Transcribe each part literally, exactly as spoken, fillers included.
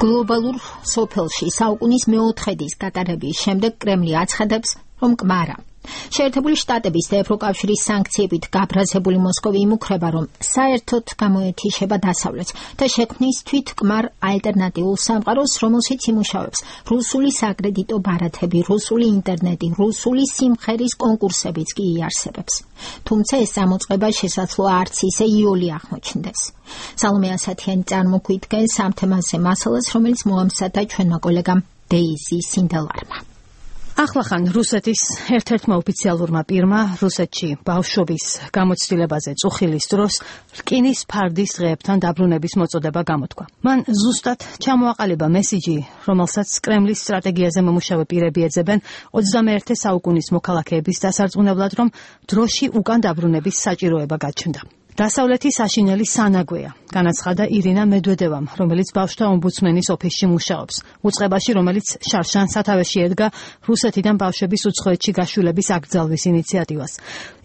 Global სოფელში საუკუნის მეოთხედის გატარების შემდეგ კრემლი აცხადებს, რომ კმარა. შეერთებული შტატების და ევროკავშირის სანქციებით გაბრაზებული მოსკოვი იმუქრება, რომ საერთოდ გამოეთიშება დასავლეთს და შექმნის თვითკმარ ალტერნატიულ სამყაროს, რომელშიც იმუშავებს რუსული საკრედიტო ბარათები, რუსული ინტერნეტი, რუსული სიმღერის კონკურსებიც კი იარსებებს. თუმცა ეს გამოწყება შესაძლოა არც ისე იოლი აღმოჩნდეს. სალომე ასათიანი წარმოგვიდგენს ამ თემაზე მასალას, რომელიც მოამზადა ჩვენმა კოლეგამ დეიზი სინდელარმა. ახლახან რუსეთის ერთ-ერთმა ოფიციალურმა პირმა რუსეთში ბავშვობის გამოცდილებაზე წუხილის დროს რკინის ფარდის დღეებთან დაბრუნების მოწოდება გამოთქვა. მან ზუსტად ჩამოაყალიბა მესიჯი, რომელსაც კრემლის სტრატეგიაზე მომუშავე პირები ეძებენ ოცდამეერთე საუკუნის მოქალაქეების დასარწმუნებლად, რომ დროში უკან დაბრუნების საჭიროება გაჩნდა. დასავლეთი საშინელი სანაგვეა, განაცხადა ირინა მედვედევამ, რომელიც ბავშვთა ომბუდსმენის ოფისში მუშაობს. უწყებაში, რომელიც შარშან სათავეში ედგა რუსეთიდან ბავშვების უცხოეთში გაშვილების აკრძალვის ინიციატივას.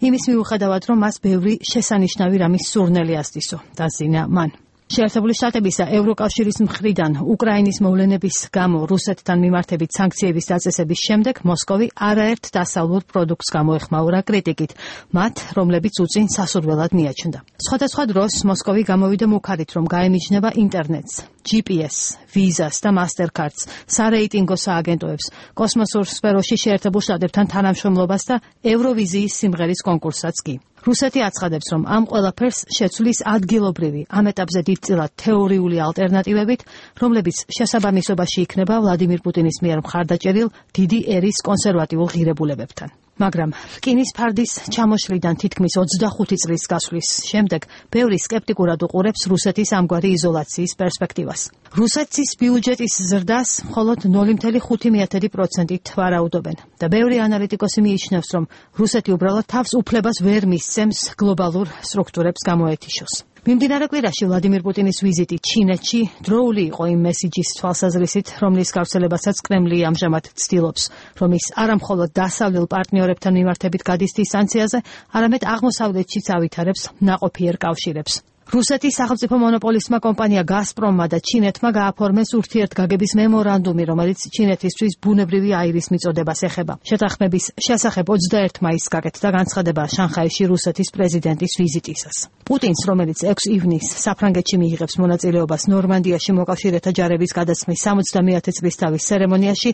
იმის მიუხედავად, რომ მას ბევრი შესანიშნავი რამის სურნელი ასდისო, დაზინა მან. შეერთებული შტატების და ევროკავშირის მხრიდან უკრაინის მოვლენების გამო რუსეთთან მიმართებით სანქციების დაწესების შემდეგ მოსკოვი არაერთ დასავლურ პროდუქტს გამოეხმაურა კრიტიკით, მათ, რომლებიც უწინ სასურველად მიაჩნდა. სხვადასხვა დროს მოსკოვი გამოვიდა მუქარით, რომ გაემიჯნება ინტერნეტს, ჯი პი ეს, ვიზას და მასტერკარდს, სარეიტინგო სააგენტოებს, კოსმოსურ სფეროში შეერთებულ შტატებთან თანამშრომლობას და ევროვიზიის სიმღერის კონკურსსაც კი. რუსეთი აცხადებს, რომ ამ ყველაფერს შეცვლის ადგილობრივი, ამ ეტაპზე დიდწილად თეორიული ალტერნატივებით, რომლებიც შესაბამისობაში იქნება ვლადიმირ პუტინის მიერ მხარდაჭერილ დიდი ერის კონსერვატიულ ღირებულებებთან. მაგრამ რკინის ფარდის ჩამოშლიდან თითქმის ოცდახუთი წლის გასვლის შემდეგ ბევრი სკეპტიკურად უყურებს რუსეთის ამგვარი იზოლაციის პერსპექტივას. რუსეთის ბიუჯეტის ზრდას მხოლოდ ნული ფاصლე ხუთი პროცენტით ვარაუდობენ და ბევრი ანალიტიკოსი მიიჩნევს, რომ რუსეთი უბრალოდ თავს უფლებას ვერ მისცემს გლობალურ სტრუქტურებს გამოეთიშოს. მიმდინარე კვირაში ვლადიმირ პუტინის ვიზიტი ჩინეთში დროული იყო იმ მესიჯის თვალსაზრისით, რომლის გავრცელებასაც კრემლი ამჟამად ცდილობს, რომ ის არამხოლოდ დასავლელ პარტნიორებთან მიმართებით გადის დისტანციაზე, არამედ აღმოსავლეთშიც ავითარებს ნაყოფიერ კავშირებს. რუსეთის სახელმწიფო მონოპოლისტმა კომპანია გაზპრომმა და ჩინეთმა გააფორმეს ურთიერთგაგების მემორანდუმი, რომელიც ჩინეთისთვის ბუნებრივი აირის მიწოდებას ეხება. შეთანხმების შესახებ ოცდაერთი მაისს გაკეთდა განცხადება შანხაიში რუსეთის პრეზიდენტის ვიზიტისას. პუტინს, რომელიც ექვსი ივნისს საფრანგეთში მიიღებს მონაწილეობას ნორმანდიაში მოკავშირეთა ჯარების გადაცმის სამოცდამეათე წლისთავის ცერემონიაში,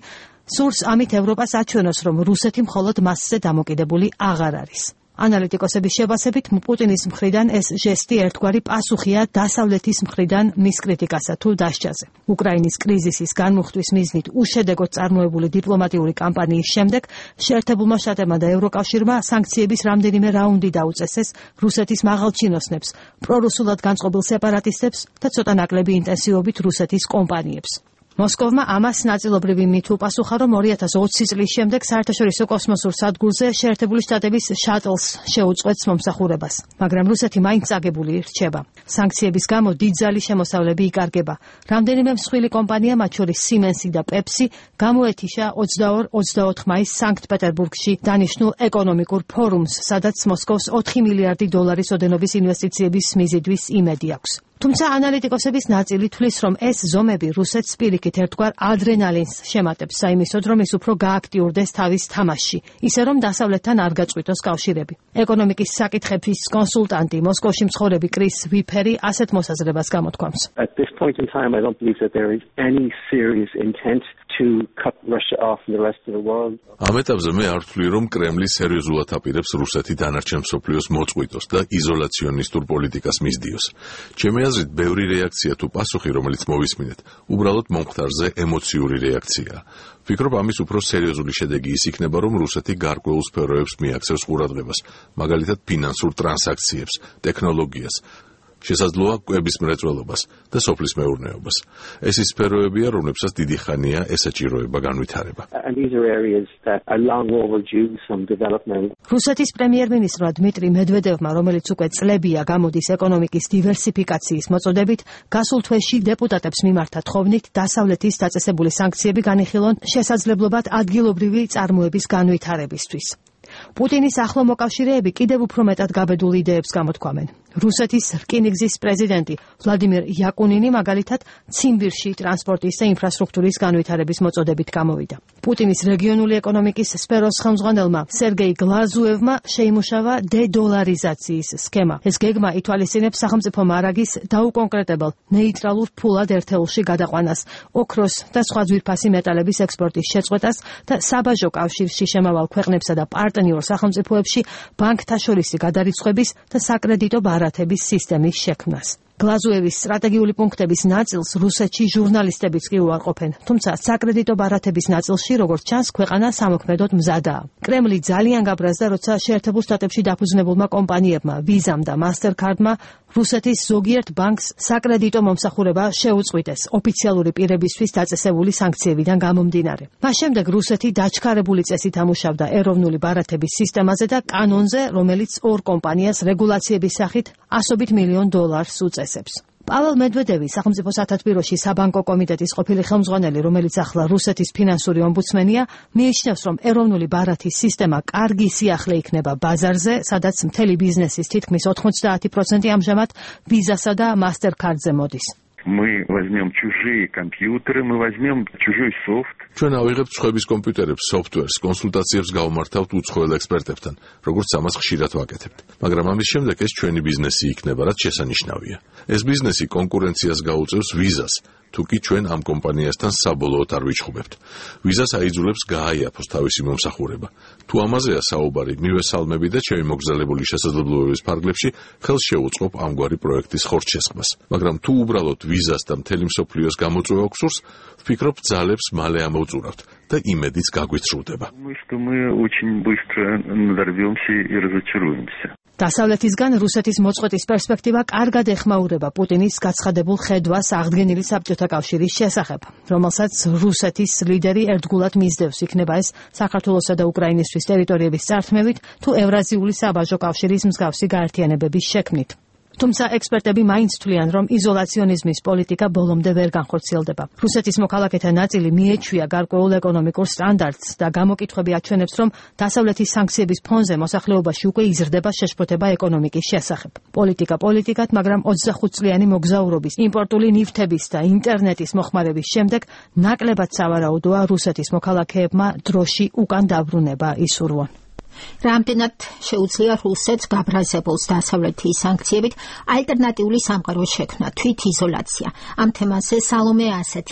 სურს ამით ევროპას აჩვენოს, რომ რუსეთი მხოლოდ მასზე დამოკიდებული აღარ არის. ანალიტიკოსების შევასებით, პუტინის მხრიდან ეს ჟესტი ერთგვარი პასუხია დასავლეთის მხრიდან მის კრიტიკასა თუ დასჯაზე. უკრაინის კრიზისის განმუხტვის მიზნით უშედეგოდ წარმოებული დიპლომატიური კამპანიის შემდეგ შეერთებულმა შტატებმა და ევროკავშირმა სანქციების რამდენიმე რაუნდი დაუწესეს რუსეთის მაღალჩინოსნებს, პრორუსულად განწყობილ სეპარატისტებს და ცოტა ნაკლები ინტენსივობით რუსეთის კომპანიებს. მოსკოვმა ამას ნაწილობრივი მით უპასუხა, რომ ორი ათას ოცი წლის შემდეგ საერთაშორისო კოსმოსურ სადგურზე შეერთებული შტატების შატლს შეუწყვეტს მომსახურებას, მაგრამ რუსეთი მაინც წაგებული რჩება. სანქციების გამო დიდძალი შემოსავლები იკარგება. რამდენიმე მსხვილი კომპანია, მათ შორის სიმენსი და პეპსი, გამოეთიშა ოცდაორი ოცდაოთხ მაისს სანქტ-პეტერბურგში დანიშნულ ეკონომიკურ ფორუმს, სადაც მოსკოვს ოთხი მილიარდი დოლარის ოდენობის ინვესტიციების მიზიდვის იმედი აქვს. თუმცა ანალიტიკოსების ნაწილი თვლის, რომ ეს ზომები რუსეთს პირიქით ერთგვარ ადრენალინს შემატებს საიმისოდ, რომ ის უფრო გააქტიურდეს თავის თამაშში, ისე რომ დასავლეთთან არ გაწყვიტოს კავშირები. ეკონომიკის საკითხების კონსულტანტი, მოსკოვში მცხოვრები კრის ვიფერი ასეთ მოსაზრებას გამოთქვამს. At this point in time, I don't believe that there is any serious intent to cut Russia off from the rest of the world. ამ ეტაპზე მე არ ვთვლი, რომ კრემლი სერიოზულად აპირებს რუსეთი დანარჩენ მსოფლიოს მოწყვიტოს და იზოლაციონისტურ პოლიტიკას მისდიოს. ჩემი აზრით, ბევრი რეაქცია თუ პასუხი, რომელიც მოვისმინეთ, უბრალოდ მომხდარზე ემოციური რეაქციაა. ვფიქრობ, ამის უფრო სერიოზული შედეგი ის იქნება, რომ რუსეთი გარკვეულ სფეროებს მიაქცევს ყურადღებას, მაგალითად ფინანსურ ტრანსაქციებს, ტექნოლოგიას, შესაძლოა კვების მრეწველობას და სოფლის მეურნეობას. ეს ის სფეროებია, რომლებსაც დიდი ხანია ესაჭიროება განვითარება. რუსეთის პრემიერ-მინისტრმა დმიტრი მედვედევმა, რომელიც უკვე წლებია გამოდის ეკონომიკის დივერსიფიკაციის მოწოდებით, გასულ თვეში დეპუტატებს მიმართა თხოვნით დასავლეთის დაწესებული სანქციები განიხილონ შესაძლებლობად ადგილობრივი წარმოების განვითარებისთვის. პუტინის ახლო მოკავშირეები კიდევ უფრო მეტად გაბედულ იდეებს გამოთქვამენ. რუსეთის რკინიგზის პრეზიდენტი ვლადიმირ იაკუნინი მაგალითად ციმბირში ტრანსპორტის და ინფრასტრუქტურის განვითარების მოწოდებით გამოვიდა. პუტინის რეგიონული ეკონომიკის სფეროს ხელმძღვანელმა სერგეი გლაზუევმა შეიმუშავა დედოლარიზაციის სქემა. ეს გეგმა ითვალისწინებს სახელმწიფო მარაგის დაუკონკრეტებელ ნეიტრალურ ფულად ერთეულში გადაყვანას, ოქროს და სხვა ძვირფასი მეტალების ექსპორტის შეწყვეტას და საბაჟო კავშირში შემავალ ქვეყნებსა და პარტნიორ სახელმწიფოებში ბანკთაშორისი გადარიცხვების და საკრედიტო ბარათების სისტემის შექმნას. გლაზუევის სტრატეგიული პუნქტების ნაწილს რუსეთში ჟურნალისტებიც კი უარყოფენ, თუმცა საკრედიტო ბარათების ნაწილში, როგორც ჩანს, ქვეყანა სამოქმედოდ მზადაა. კრემლი ძალიან გაბრაზდა, როცა შეერთებულ შტატებში დაფუძნებულმა კომპანიებმა, ვიზამ და მასტერკარდმა რუსეთის ზოგიერთ ბანკს საკრედიტო მომსახურება შეუწყვიტეს ოფიციალური პირებისთვის დაწესებული სანქციებიდან გამომდინარე. მას შემდეგ რუსეთი დაჩქარებული წესით ამუშავდა ეროვნული ბარათების სისტემაზე და კანონზე, რომელიც ორ კომპანიას რეგულაციების სახით ასობით მილიონ დოლარს უწესებს. პაվել მედვედევი, სახელმწიფო სათათბიროში საბანკო კომიტეტის ყოფილი ხელმძღვანელი, რომელიც ახლა რუსეთის ფინანსური ომბუდსმენია, მიიჩნევს, რომ ეროვნული ბარათის სისტემა კარგი სიახლე იქნება ბაზარზე, სადაც მთელი ბიზნესის თითქმის ოთხმოცდაათი პროცენტი ამჟამად ვიზასა და მასტერკარდზე მოდის. Мы возьмем чужие компьютеры, мы возьмем чужой софт. ჩვენ ავიღებთ სხვების კომპიუტერებს, სოფტვერს, კონსულტაციებს გავმართავთ უცხოელ ექსპერტებთან, როგორც ამას ხშირად ვაკეთებთ. მაგრამ ამის შემდეგ ეს ჩვენი ბიზნესი იქნება, რაც შესანიშნავია. ეს ბიზნესი კონკურენციას გაუწევს ვიზას, თუკი ჩვენ ამ კომპანიასთან საბოლოოდ არ ვიჩხუბებთ. ვიზას აიძულებს გააიაფოს თავისი მომსახურება. თუ ამაზეა საუბარი, მივესალმები და ჩემი მოგზაურობის შესაძლებლობების ფარგლებში ხელს შევუწყობ ამგვარი პროექტის ხორცშესხმას. მაგრამ თუ უბრალოდ ვიზას და მთელი მსოფლიოს გამოწვევა გსურს, ვფიქრობ, ძალებს მალე ამოვწურავთ და იმედიც გაგვიცრუდება. Думаю, что мы очень быстро надорвемся и разочаруемся. დასავლეთისგან რუსეთის მოწყვეტის პერსპექტივა კარგად ეხმაურება პუტინის გაცხადებულ ხედვას აღდგენილი საბჭოთა კავშირის შესახებ, რომელსაც რუსეთის ლიდერი ერთგულად მისდევს, იქნება ეს საქართველოსა და უკრაინისთვის ტერიტორიების წართმევით თუ ევრაზიული საბაჟო კავშირის მსგავსი გაერთიანებების შექმნით. თუმცა ექსპერტები მაინც თვლიან, რომ იზოლაციონიზმის პოლიტიკა ბოლომდე ვერ განხორციელდება. რუსეთის მოქალაქეთა ნაწილი მიეჩვია გარკვეულ ეკონომიკურ სტანდარტს და გამოკითხვები აჩვენებს, რომ დასავლეთის სანქციების ფონზე მოსახლეობაში უკვე იზრდება შეშფოთება ეკონომიკის შესახებ. პოლიტიკა პოლიტიკად, მაგრამ ოცდახუთ წლიანი მოგზაურობის, იმპორტული ნივთების და ინტერნეტის მოხმარების შემდეგ ნაკლებად სავარაუდოა რუსეთის მოქალაქეებმა დროში უკან დაბრუნება ისურვონ. რამდენად შეუძლია რუსეთს გაბრაზებულს დასავლეთის სანქციებით ალტერნატიული სამყაროს შექმნა, თვით იზოლაცია. ამ თემაზე სალომე ასეთი